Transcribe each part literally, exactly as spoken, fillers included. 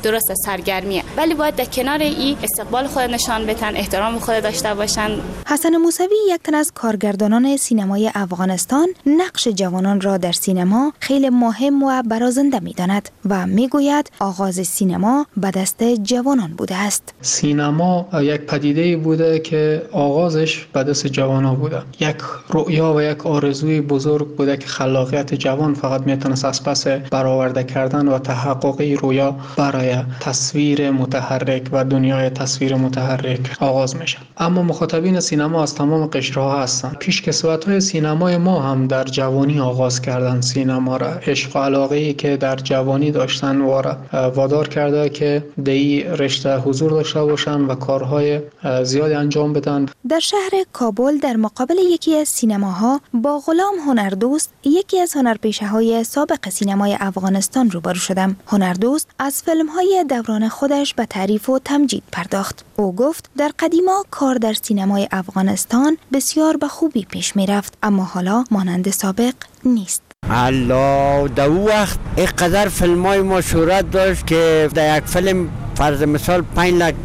درست سرگرمیه، ولی باید در کنار این استقبال خود نشان بدن، احترام خود داشته باشن. حسن موسوی یک تن از کارگردانان سینمای افغانستان نقش جوانان را در سینما خیلی مهم و برازنده می‌داند و می‌گوید آغاز سینما به دست جوانان بوده است. سینما یک پدیده بوده که آغازش به دست جوانان بوده. یک رؤیا و یک آرزوی بزرگ بوده که خلاقیت جوان فقط میتونست از پس برآورده کردن و تحقق رویا برای تصویر متحرک و دنیای تصویر متحرک آغاز میشه. اما مخاطبین سینما از تمام قشرها هستند. پیشکسوت‌های سینمای ما هم در جوانی آغاز کردن سینما را. عشق و علاقه‌ای که در جوانی داشتن وارا وادار کرده که در این رشته حضور داشته باشن و کارهای زیادی انجام بدن. در شهر کابل در مقابل یکی از سینماها با غلام هنردوست، یکی از هنرپیشه‌های سابق سینمای افغانستان روبرو شدم. هنردوست از فیلم‌های دوران خودش به تعریف و تمجید پرداخت. او گفت در قدیما کار در سینمای افغانستان بسیار به خوبی پیش می رفت، اما حالا مانند سابق نیست. الله، در او وقت اینقدر فیلم های ما شهرت داشت که در یک فیلم فرض مثال پنج لک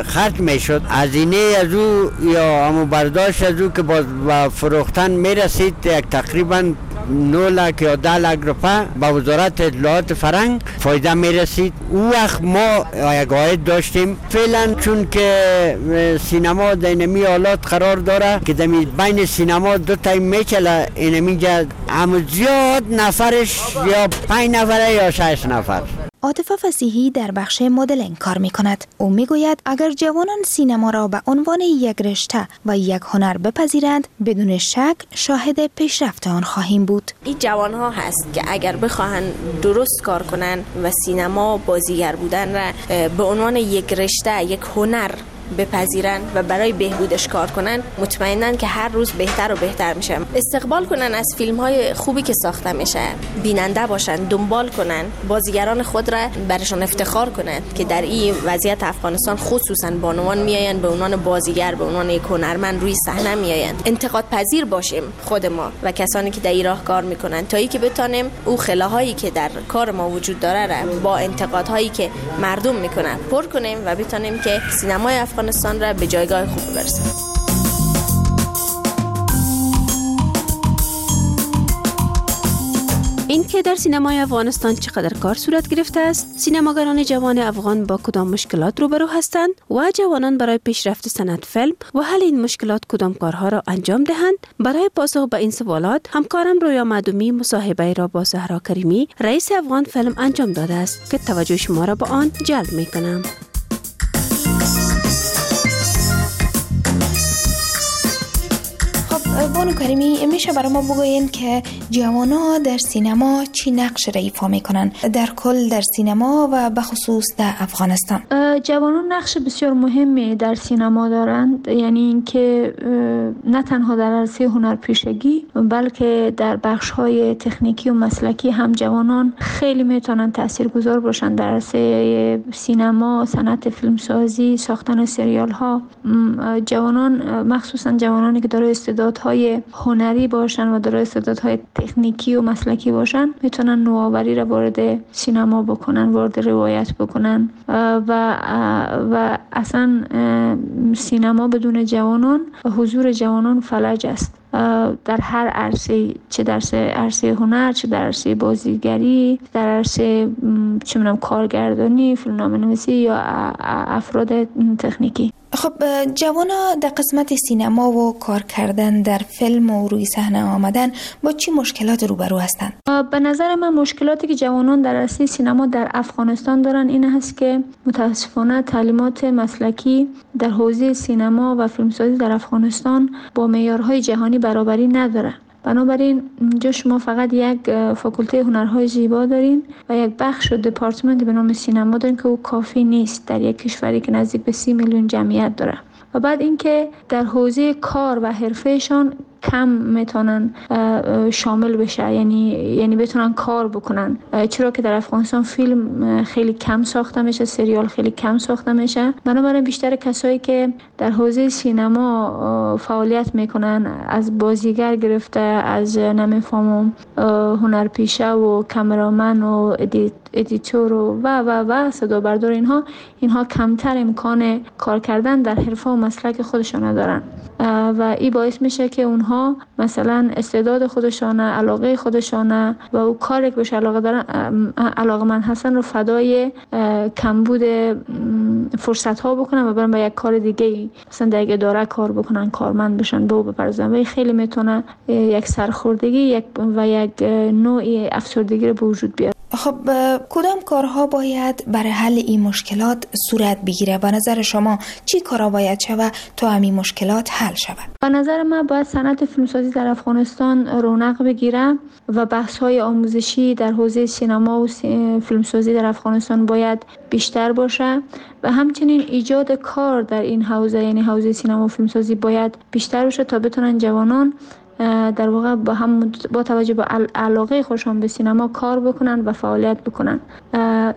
خرج می شد، هزینه از او یا همو برداشت از او که باز فروختن می رسید یک تقریبا نه لک یا ده لک روپه به وزارت اطلاعات فرهنگ فایده می رسید. او وقت ما یک عاید داشتیم. فعلا چون که سینما در اینمی حالات قرار داره که در بین سینما دو تایم میچله، اینمی جا هم زیاد نفرش یا پنج نفره یا شش نفر. عاطفه فصیحی در بخش مدلینگ کار می کند. او می گوید اگر جوانان سینما را به عنوان یک رشته و یک هنر بپذیرند، بدون شک شاهد پیشرفت آن خواهیم بود. این جوان ها هست که اگر بخواهند درست کار کنند و سینما بازیگر بودن را به عنوان یک رشته، یک هنر بپذیرن و برای بهبودش کار کنن، مطمئنن که هر روز بهتر و بهتر میشه. استقبال کنن از فیلم های خوبی که ساخته میشه، بیننده باشن، دنبال کنن، بازیگران خود را برشان افتخار کنن که در این وضعیت افغانستان خصوصا بانوان میآیند به عنوان بازیگر، به عنوان یک هنرمند روی صحنه میآیند. انتقاد پذیر باشیم خود ما و کسانی که در این راه کار میکنن تا اینکه بتانیم او خلاهایی که در کار ما وجود داره را با انتقادهایی که مردم میکنن پر کنیم و بتانیم که سینمای افغانستان را به جایگاه خوب برسانیم. این که در سینمای افغانستان چقدر کار صورت گرفته است، سینماگران جوان افغان با کدام مشکلات روبرو هستند و جوانان برای پیشرفت صنعت فیلم و حل این مشکلات کدام کارها را انجام دهند، برای پاسخ به این سوالات همکارم رویا مدومی مصاحبه را با زهرا کریمی، رئیس افغان فیلم انجام داده است که توجه شما را به آن جلب می‌کنم. بانو کریمی، میشه برای ما بگوین که جوانا در سینما چی نقش را ایفا میکنن در کل در سینما و به خصوص در افغانستان؟ جوانان نقش بسیار مهمی در سینما دارند، یعنی اینکه نه تنها در عرصه هنرپیشگی بلکه در بخش‌های تکنیکی و مسلکی هم جوانان خیلی میتونن تاثیرگذار باشن در عرصه سینما، صنعت فیلمسازی، ساختن سریال ها. جوانان، مخصوصا جوانانی که دارای استعدادهای هنری باشن و دارای استعدادهای تکنیکی و مسلکی باشن، میتونن نوآوری را وارد سینما بکنن، وارد روایت بکنن و و اصلا سینما بدون جوانان و حضور جوانان فلج است در هر عرصه، چه در عرصه هنر، چه در عرصه بازیگری، در عرصه چه می‌دونم کارگردانی، فیلمنامه‌نویسی یا افراد تکنیکی. خب جوانا در قسمت سینما و کار کردن در فیلم و روی صحنه آمدن با چی مشکلات روبرو هستند؟ به نظر من مشکلاتی که جوانان در عرصه سینما در افغانستان دارن این هست که متاسفانه تعلیمات مسلکی در حوزه سینما و فیلمسازی در افغانستان با معیارهای جهانی برابری نداره. بنابراین اینجا شما فقط یک فاکولته هنرهای زیبا دارین و یک بخش و دپارتمنت به نام سینما دارین که او کافی نیست در یک کشوری که نزدیک به سی میلیون جمعیت داره. و بعد اینکه در حوزه کار و حرفه‌شان کم میتونن شامل بشه، یعنی یعنی بتونن کار بکنن، چرا که در افغانستان فیلم خیلی کم ساخته میشه، سریال خیلی کم ساخته میشه. بنابراین بیشتر کسایی که در حوزه سینما فعالیت میکنن، از بازیگر گرفته، از نمیفهمم هنرپیشه و cameraman و edit editor و و و و صدا بردار، اینها اینها کمتر امکان کار کردن در حرفه و مسلک خودشان دارن و این باعث میشه که اونها مثلا استعداد خودشان، علاقه خودشان و او کاری که بهش علاقه دارن، علاقه‌مند هستن رو فدای کمبود فرصت ها بکنن و برن به یک کار دیگه، مثلا در یک اداره کار بکنن، کارمند بشن، به او بپردازن و خیلی میتونه یک سرخوردگی یک و یک نوعی افسردگی رو به وجود بیاره. خب کدام کارها باید برای حل این مشکلات صورت بگیره؟ به نظر شما چی کارها باید شود تا همین مشکلات حل شود؟ به نظر من باید صنعت فیلمسازی در افغانستان رونق بگیره و بحث‌های آموزشی در حوزه سینما و فیلمسازی در افغانستان باید بیشتر باشه و همچنین ایجاد کار در این حوزه، یعنی حوزه سینما و فیلمسازی باید بیشتر باشه تا بتونن جوانان در واقع با هم با توجه به علاقه خودشان به سینما کار بکنن و فعالیت بکنن.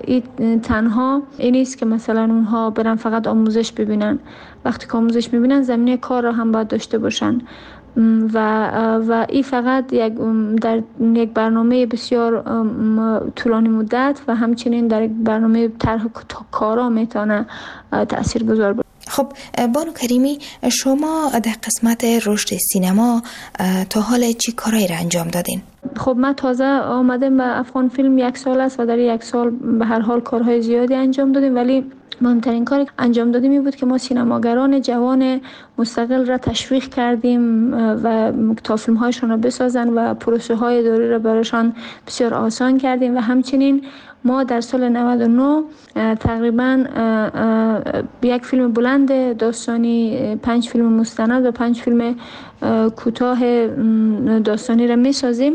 این تنها این نیست که مثلا اونها برن فقط آموزش ببینن. وقتی که آموزش میبینن زمینه کار را هم باید داشته باشن و و این فقط یک در یک برنامه بسیار طولانی مدت و همچنین در یک برنامه طرح کارا میتونه تاثیرگذار باشه. خب بانو کریمی، شما در قسمت رشد سینما تا حال چی کارایی را انجام دادین؟ خب من تازه آمدم به افغان فیلم، یک سال است و در یک سال به هر حال کارهای زیادی انجام دادیم، ولی مهمترین کاری که انجام دادیم این بود که ما سینماگران جوان مستقل را تشویق کردیم و تا فیلم هایشان را بسازن و پروسه های دوری را برایشان بسیار آسان کردیم و همچنین ما در سال نود و نه تقریباً یک فیلم بلند داستانی، پنج فیلم مستند و پنج فیلم کوتاه داستانی را میسازیم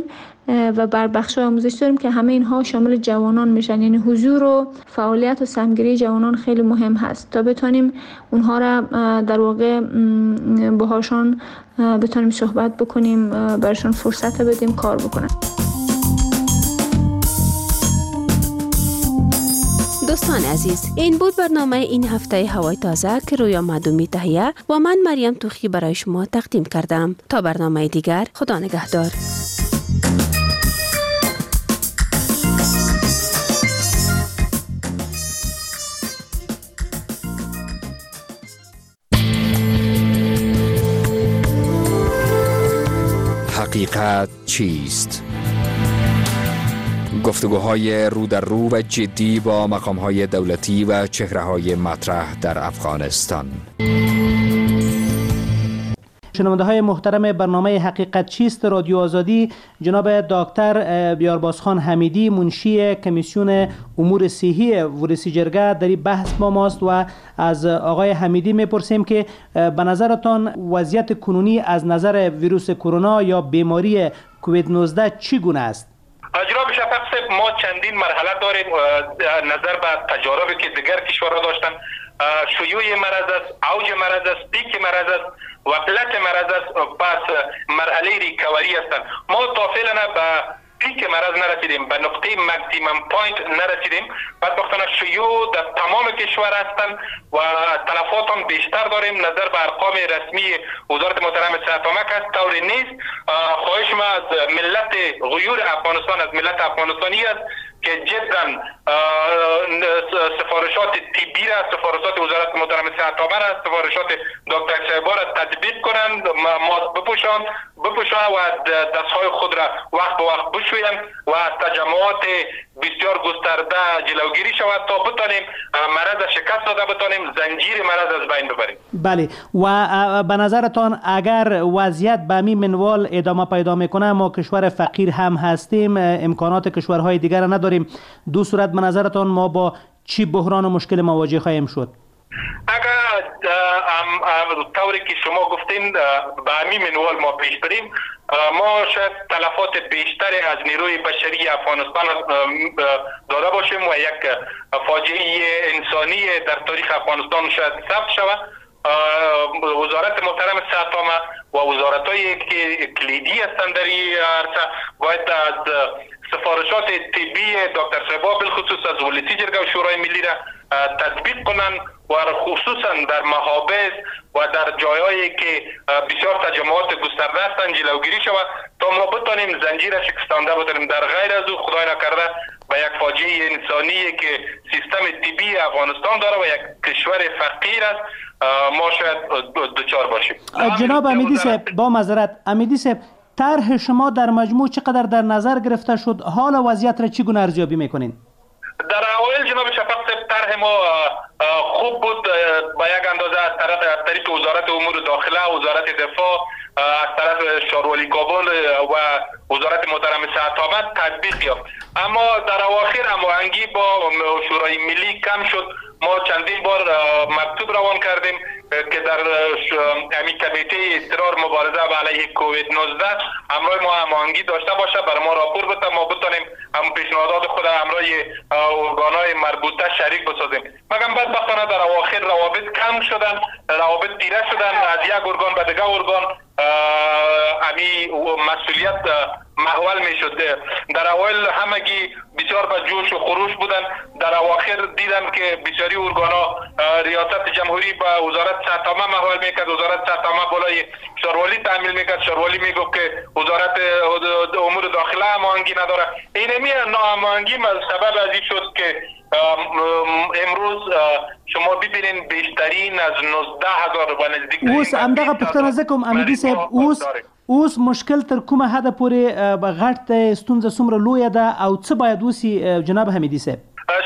و بر بخش آموزش داریم که همه اینها شامل جوانان میشن. یعنی حضور و فعالیت و سمگیری جوانان خیلی مهم هست تا بتونیم اونها را در واقع باهاشون بتونیم صحبت بکنیم، براشون فرصت بدیم کار بکنن. دوستان عزیز، این بود برنامه این هفته هوای تازه که رویا مدومی تهیه و من مریم توخی برای شما تقدیم کردم. تا برنامه دیگر، خدا نگهدار. حقیقت چیست؟ گفتگوهای رو در رو و جدی با مقامهای دولتی و چهره‌های مطرح در افغانستان. شنونده های محترم برنامه حقیقت چیست رادیو آزادی، جناب دکتر بیاربازخان حمیدی، منشی کمیسیون امور صحی ولسی جرگه در این بحث با ماست و از آقای حمیدی میپرسیم که به نظرتان وضعیت کنونی از نظر ویروس کرونا یا بیماری کووید نوزده چگونه است؟ جناب شفق صاحب، ما چندین مرحله داریم نظر به تجاربی که دیگر کشورها داشتن. شیوع مرض است، اوج مرض است، پیک مرض است و پلت مرض است، پس مرحله recovery هستند. ما تا فعلا به پیک مرض نرسیدیم، به نقطه maximum point نرسیدیم. بدبختانه شیوع در تمام کشور هستند و تلفات هم بیشتر داریم. نظر به ارقام رسمی وزارت محترم صحت عامه است طوری نیست. خواهش ما از ملت غیور افغانستان، از ملت افغانستانی است که جدا سفارشات طبی را، سفارشات وزارت محترم صحت عامه را، سفارشات دکتر صاحب را تطبیق کنند، ماسک بپوشند بپوشند و دستهای خود را وقت به وقت بشویند و از تجمعات بسیار گسترده جلوگیری شود تا بتانیم مرض شکست داده بتانیم زنجیر مرض از بین ببریم. بله، و به نظرتان اگر وضعیت به همین منوال ادامه پیدا میکنه، ما کشور فقیر هم هستیم، امکانات کشورهای دیگر نداریم، دو صورت به نظرتان ما با چی بحران و مشکل مواجه خواهیم شد؟ اگر طوری که شما گفتین به همین منوال ما پیش بریم، ما شاید تلفات بیشتری از نیروی بشری افغانستان داده باشیم و یک فاجعه انسانی در تاریخ افغانستان شاید ثبت شود. وزارت محترم صحت عامه و وزارت‌هایی که کلیدی هستند در این عرصه باید از سفارشات طبی دکتر صاحب بالخصوص از ولسی جرگه و شورای ملی را تطبیق کنند و خصوصا در محابس و در جایهایی که بسیار تجمعات گسترده هستند جلوگیری شود تا ما بتانیم زنجیر شکستانده بتانیم. در غیر از او خدای نکرده به یک فاجعه انسانی که سیستم طبی افغانستان داره و یک کشور فقیر است ما شاید دچار باشیم. جناب امیدی صاحب، با معذرت، امیدی صاحب، طرح شما در مجموع چقدر در نظر گرفته شد؟ حال وضعیت را چگونه ارزیابی میکنین؟ در اوایل جناب شفق صاحب طرح ما خوب بود، با یک اندازه از طرف از طریق وزارت امور داخله، وزارت دفاع، از طرف شاروالی کابل و وزارت محترم صحت عامه تطبیق یافت. اما در اواخر هماهنگی با شورای ملی کم شد. ما چندین بار مکتوب روان کردیم که در همین کمیته اضطرار مبارزه علیه کووید نوزده همراه ما هماهنگی داشته باشه، برای ما راپور بده، ما بتانیم هم پیشنهادات خود همراه ارگان‌های مربوطه شریک بسازیم. مگم بدبختانه در اواخر روابط کم شدن، روابط تیره شدن، از یک ارگان به دیگر ارگان امی مسئولیت محول می شد. در اوایل همگی بسیار به جوش و خروش بودن، در اواخر دیدم که بسیاری ارگانا ریاست جمهوری به وزارت صحت عامه محول میکرد، وزارت صحت عامه بالای شاروالی تحمیل میکرد، شاروالی میگفت که وزارت امور داخله هماهنگی نداره. اینمی ناهماهنگی سبب از این شد که امروز شما ببینین بیشترین از نوزده هزار و نزدیک. اوس همدغه پوښتنه زه کوم امیدي صاحب، اوس اوس مشکل تر کومه حده پورې غټ دی، ستونزه څومره لویه ده او څه باید وسي جناب حمیدي صاحب؟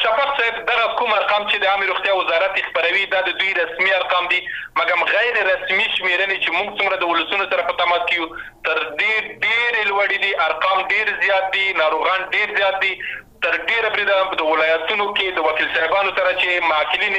شفق صاحب، دغه کوم ارقام چې د عامې روغتیا وزارت خپروي دا د دوی رسمي ارقام دي، مګم غیر رسمي شمیرنې چې موږ څومره د ولسونو سره په تماس کې یو تر ډېر ډېرې لوړې دي، ارقام ډېر زیات دي، ناروغان ډېر زیات دي. تر ډېره بریده د ولایتونو کې د وکیل صاحبانو سره چې معقلین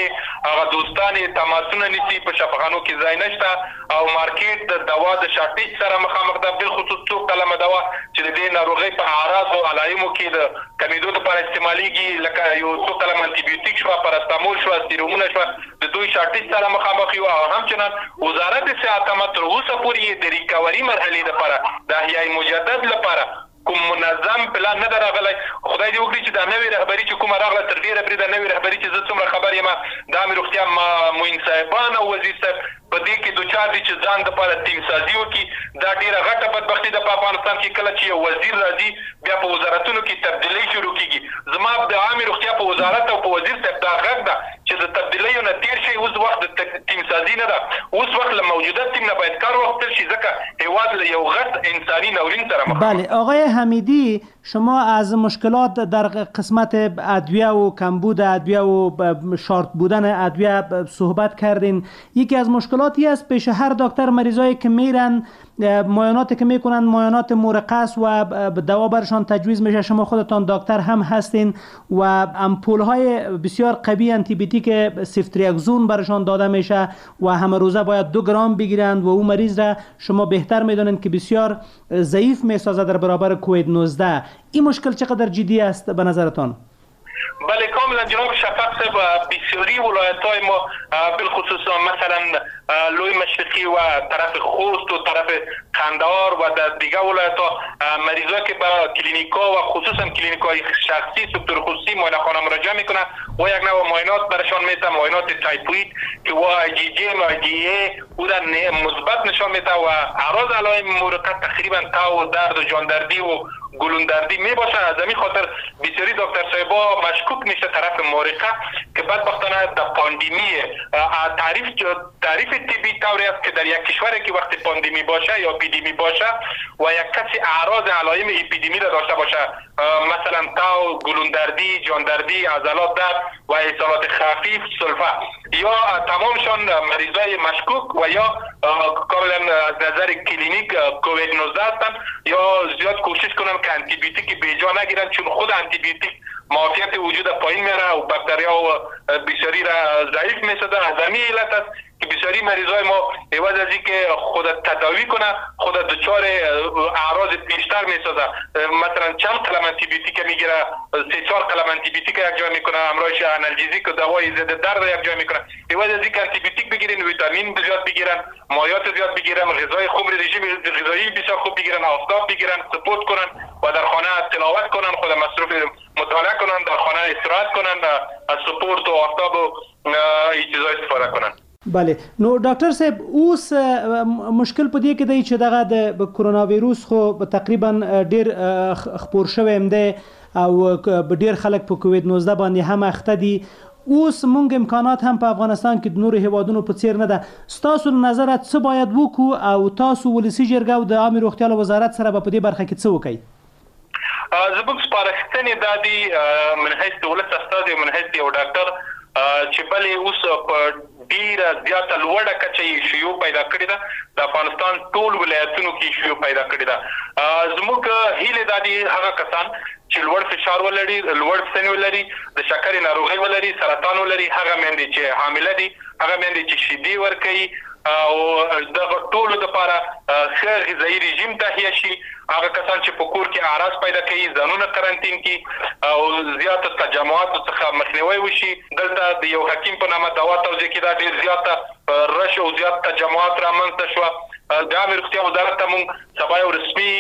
هغه دوستان یې تماسونه نیسي، په شفاخانو کې ځای نشته او مارکیټ د دوا د شارټیج سره مخامخ ده، بالخصوص څو قلمه دوا چې د دې ناروغۍ په اعراض او علایمو کې د کمېدو لپاره استعمالیږي، لکه یو څو قلم انټي بیوټیک شوه، پاراستامول شوه، سیرومونه شوه، د دوی شارټیج سره مخامخ یو. او همچنان وزارت صحت عامه تر اوسه پورې یې د ریکوري مرحلې لپاره، د احیای مجدد لپاره کوم منظم پلان نه ده راغلی. خدای دې وکړي چې دا نوې رهبري چې کومه راغله تر ډېره بریده نوې رهبري چې زه څومره خبر یم د عامې روغتیا معین صاحبان او وزیر صاحب په دې کې دوچار دي چې ځان دپاره تیم سازي وکړي. دا ډېره غټه بدبختي ده په افغانستان کې، کله چې یو وزیر راځي بیا په وزارتونو کې تبدیلۍ شروع کېږي. زما د عامې روغتیا په وزارت او په وزیر صاحب دا غږ ده چې د تبدیلیو نه تېر شي. اوس وخت د تیم سازي نه ده، اوس وخت له موجوده تیم نه باید کار واخیستل شي، ځکه هیواد له یو غټ انساني ناورین سره مخ. بله آقای حمیدی، شما از مشکلات در قسمت ادویه و کمبود ادویه و شارت بودن ادویه صحبت کردین. یکی از مشکلاتی است پیش هر دکتر مریضایی که میرن معاینات که میکنن معاینات مرقص و دوا برشان تجویز میشه. شما خودتان دکتر هم هستین و امپول های بسیار قوی انتی بیوتیک سفتریاکزون برشان داده میشه و همه روزه باید دو گرم بگیرند و او مریض را شما بهتر میدونین که بسیار ضعیف میسازه در برابر کووید نوزده. این مشکل چقدر جدی است به نظرتان؟ بله کاملا جناب شفق صاحب، بسیاری ولایت های ما بالخصوص مثلا لوی مشرقی و طرف خوست و طرف قندهار و در دیگه ولایت ها مریضا که به کلینیکا و خصوصا کلینیک های شخصی سکتور خصوصی معاینه خانه مراجعه میکنن و یک نوع معاینات برشان میته، معاینات تایفوید که و آی جی جی و آی جی ای او را مثبت نشان میده و اعراض علائم مورقه تقریبا تاو و درد و جاندردی و گلوندردی می باشه. از همین خاطر بسیاری دکتر صاحبا مشکوک میشه طرف مورقه که بدبختانه در پاندمی تعریف تعریف طبی طوری است که در یک کشوری که وقتی پاندمی باشه یا اپیدمی باشه و یک کسی اعراض علائم اپیدمی را داشته باشه، مثلا تاو، گلوندردی، جاندردی، عضلات درد و اسهالات خفیف، سلفه، یا تمامشان مریضای مشکوک و یا کاملا از نظر کلینیک کووید نوزده هستند، یا زیاد کوشش کنن که انتی بیوتیک بیجا نگیرن، چون خود انتی بیوتیک معافیت وجود پایین میره و باکتریا و بسیاری را ضعیف میسازه. از همین علت است که بسیاری مریضای ما عوض از اینکه خود تداوی کنه خود دچار اعراض بیشتر میسازه. مثلا چند قلم انتی بیوتیک میگیره، سه چهار قلم انتی بیوتیک یک جای میکنه، همراهش انالژیک و دوای ضد درد یک جای میکنه. عوض از اینکه انتی بیوتیک بگیرن، ویتامین زیاد بگیرن، مایعات زیاد بگیرن، غذای خوب، رژیم غذایی بسیار خوب بگیرن، آفتاب بگیرن، سپورت کنن و در خانه تلاوت کنن، خود مصروف مطالعه کنن، در خانه استراحت کنن، از سپورت و آفتاب و این چیزا استفاده کنن. بله نو ډاکټر صاحب، اوس مشکل په دې کې دی چې دغه د کرونا ویروس خو تقریبا ډیر خپور شوی هم دی، او ډیر خلک په کووید نوزده باندې هم اخته دي. اوس مونږ امکانات هم په افغانستان کې د نورو هیوادونو په څیر نه ده. ستاسو له نظره څه باید وکړو او تاسو ولسي جرګه او د عامې روغتیا له وزارت سره به په دې برخه کې څه وکړئ؟ زموږ سپارښتنې دا دي من حیث د ولس استازی او من حیث یو ډاکټر چې بلې اوس په ډیره زیاته لوړه کچه یې شیوع پیدا کړې ده، د افغانستان ټول ولایتونو کې شیوع پیدا کړې ده. زموږ هیلې دا دي هغه کسان چې لوړ فشار ولري، لوړ سن ولري، د شکرې ناروغي ولري، سرطان ولري، هغه میندې چې حامله دي، هغه میندې چې شیدې ورکوي او دغه ټولو دپاره ښه غذایي رژیم تهیه شي، هغه کسان چې په کور کې اعراض پیدا کوي ځانونه قرنطین کړي او زیاتو تجمعاتو څخه مخنیوی وشي. دلته د یو حکیم په نامه دوا توزیع کېده، ډېر زیاته رش او زیات تجمعات رامنځته شوه. د عامې روغتیا وزارت ته موږ سبا یو رسمي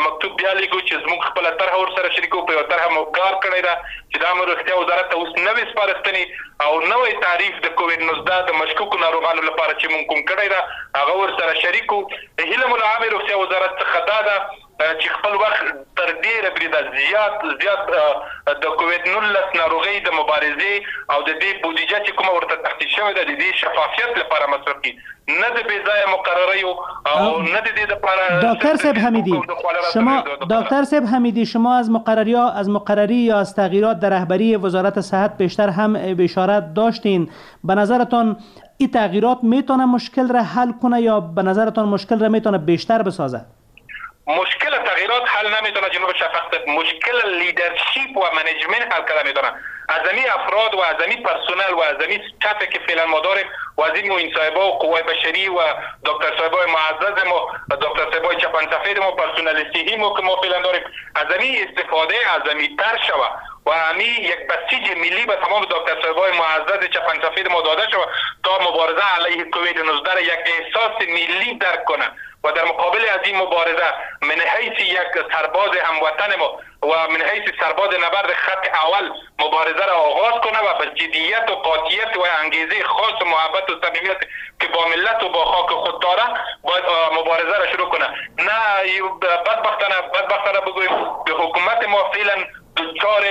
مکتوب بیا لیږو چې زموږ خپله طرحه ورسره شریکو، په یوه طرحه مو کار کړی ده چې د عامې روغتیا وزارت ته اوس نوې سپارښتنې او نوی تعریف د کووید نوزده د مشکوکو ناروغانو لپاره چې موږ کوم کړی ده هغه ورسره شریکو. هیله مو له عامې روغتیا وزارت څخه دا ده چې خپل وخت تر ډېره بریده زیات زیات د کووید نولس ناروغۍ د مبارزې او د دې بودیجه چې کومه ورته تخصیص شوې ده د دې شفافیت لپاره مصرف کړي، نه د بې ځایه مقرریو او نه د دې لپاره. دکتر صاحب حمیدی، شما دکتر صاحب حمیدی شما از مقرری از مقرری یا از تغییرات در رهبری وزارت صحت بیشتر هم اشاره داشتین. به نظرتان این تغییرات میتونه مشکل را حل کنه یا به نظرتان مشکل را میتونه بیشتر بسازه؟ مشکل تغییرات حل نمیتونه جناب شفق، مشکل leadership و management حل کرده میتونه. از امی افراد و از امی پرسنل و از امی staff که فعلا ما داریم و از این معین صاحبا و قوای بشری و دکتر صاحبای معزز ما، دکتر صاحبای چپن سفید ما، پرسنل صحی ما که ما فعلا داریم، از امی استفاده از امی تر شوه و امی یک بسیج ملی به تمام دکتر صاحبای معزز چپن سفید ما داده شوه تا مبارزه علیه کووید نوزده یک احساس ملی درک کنه و در مقابل از این مبارزه من حیث یک سرباز هموطن ما و من حیث سرباز نبرد خط اول مبارزه را آغاز کنه و به جدیت و قاطعیت و انگیزه خاص و محبت و صمیمیت که با ملت و با خاک خود داره باید مبارزه را شروع کنه. نه بدبختانه بدبختانه بگوییم که حکومت ما فعلا دچار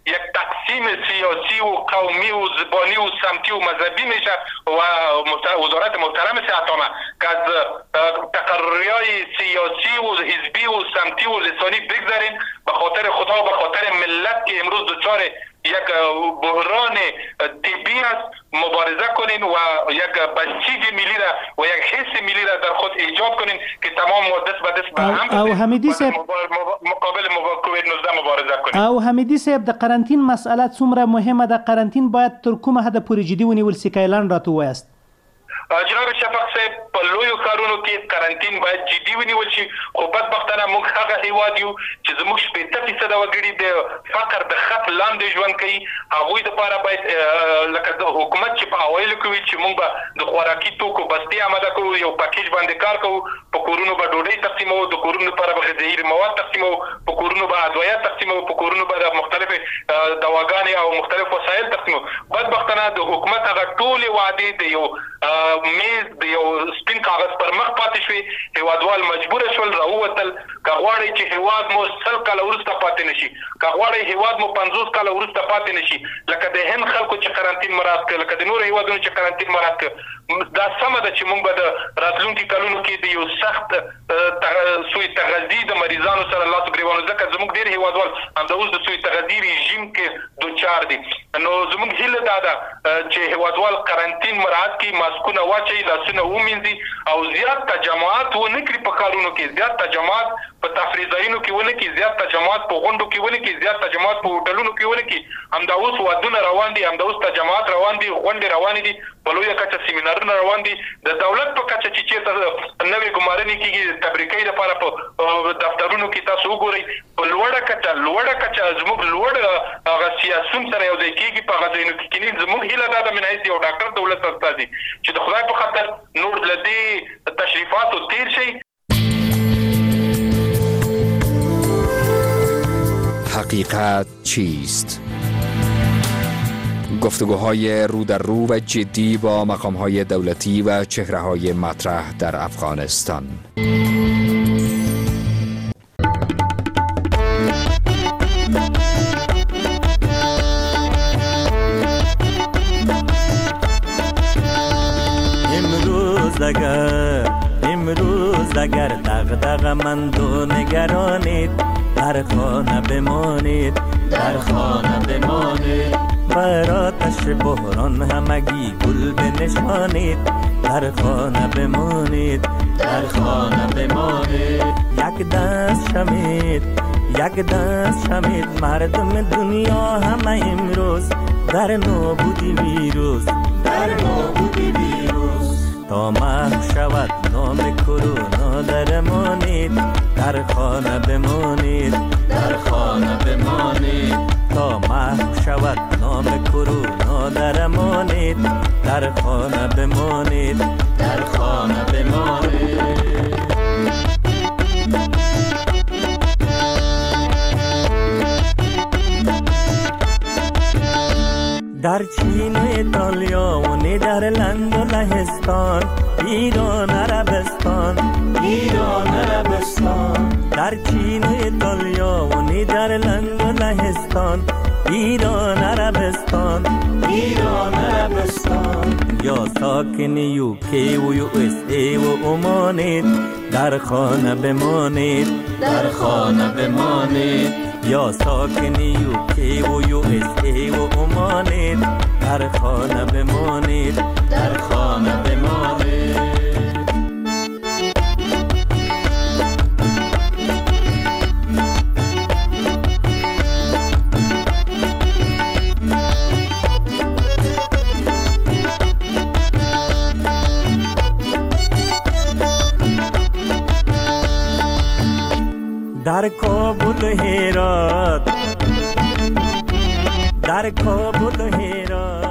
یک تقسیم سیاسی و قومی و زبانی و سمتی و مذهبی میشه و وزارت محترم صحت عامه که از تقرریای سیاسی و حزبی و سمتی و لسانی بگذارین، به خاطر خدا و به خاطر ملت که امروز دچار یک بحران طبی است مبارزه کنین و یک بسیج ملی را و یک حس ملی را در خود ایجاد کنین که تمام دست به دست به هم او حمیدی صاحب مقابل کووید نوزده مبارزه کنین. او حمیدی صاحب د قرنطین مسئله څومره مهمه ده؟ قرنطین باید تر کومه حده پورې جدي ونیول سي؟ که اعلان راته ووایاست. جناب شفق صاحب، په لویو ښارونو کې قرنطین باید جدي ونیول شي، خو بدبختانه موږ هغه هیواد یو چې زموږ شپېته فیصده وګړي د فقر د خط لاندې ژوند کوي. هغوی دپاره باید لکه د حکومت چې په اوایلو کې وي چې موږ به د خوراکي توکو بستې آماده کوو، یو پکیج باندې کار کوو، په کورونو به ډوډۍ تقسیموو، د کورونو لپاره به غذایي مواد تقسیموو، په کورونو به ادویات تقسیموو، په کورونو به د مختلفې دواګانې او مختلف وسایل تقسیموو. بدبختانه د حکومت هغه ټولې وعدې د یو میز د یو سپین کاغذ پر مخ پاتې شوې. هیوادوال مجبور شول راووتل. که غواړئ چې هیواد مو سل کاله وروسته پاتې نشي، که غواړئ هیواد مو پنځوس کاله وروسته پاتې نشي، لکه د هند خلکو چې قرنطین مراعات کړ، لکه د نورو هیوادونو چې قرنطین مراعات کړ، دا سمه ده چې موږ به د راتلونکي کلونو کې د یو سخت سوء تغذي د مریضانو سره لاس ګریوان، ځکه زموږ ډېر هیوادوال همدا اوس د سوء تغذي رژیم کې دوچار دي. نو زموږ هیله دا ده چې هیوادوال قرنطین مراعات کړي، ماسکونه واچوي، لاسونه ومینځي او زیات تجمعات ونه کړي په ښارونو کې، زیات تجمعات په تفریح ځایونو کې ونه کړي، زیات تجمعات په غونډو کې ونه کړي، زیات تجمعات په هوټلونو کې ونه کړي. همدا اوس ودونه روان دي، همدا اوس تجمعات روان دي، غونډې روانې دي، په لویه کچه سیمینارونه روان دي. د دولت په کچه چې چېرته نوې ګمارنې کېږي د تبریکۍ لپاره په دفترونو کې تاسو وګورئ، په لوړه کچه لوړه کچه زموږ لوړ هغه سیاسون سره یو ځای کېږي په هغه ځایونو کې کښېني. زموږ هیله دا ده من حیث یو ډاکټر د ولس استازي چې د خدای په خاطر نور له دې تشریفاتو تېر شئ. حقیقت چیست؟ گفتگوهای رو در رو و جدی با مقامهای دولتی و چهره‌های مطرح در افغانستان. اگر امروز اگر دغدغه‌مند و نگرانید، در خانه بمانید، در خانه بمانید. بر آتش بحران همگی گل بنشانید، در خانه بمانید، در خانه بمانید. یک دست شمید، یک دست شمید، مردم دنیا همه امروز در نابودی ویروس، در نابودی ویروس. تا محو شود نام کرونا درمانید، در خانه بمانید، در خانه بمانید. تا محو شود نام کرونا درمانید، در خانه بمانید، در خانه بمانید. در چین و ایتالیا و نیدرلند و لهستان، ایران عربستان، ایران عربستان. در چین و ایتالیا و نیدرلند و لهستان، ایران عربستان، ایران عربستان. یا ساکن یوکی و یو اس ای و عمانید، در خانه بمانید، در خانه بمانید. یا ساکن یوکی و یو اس ای و عمانید، در خانه بمانید، در خانه بمانید. در کابل هرات، در کابل هرات.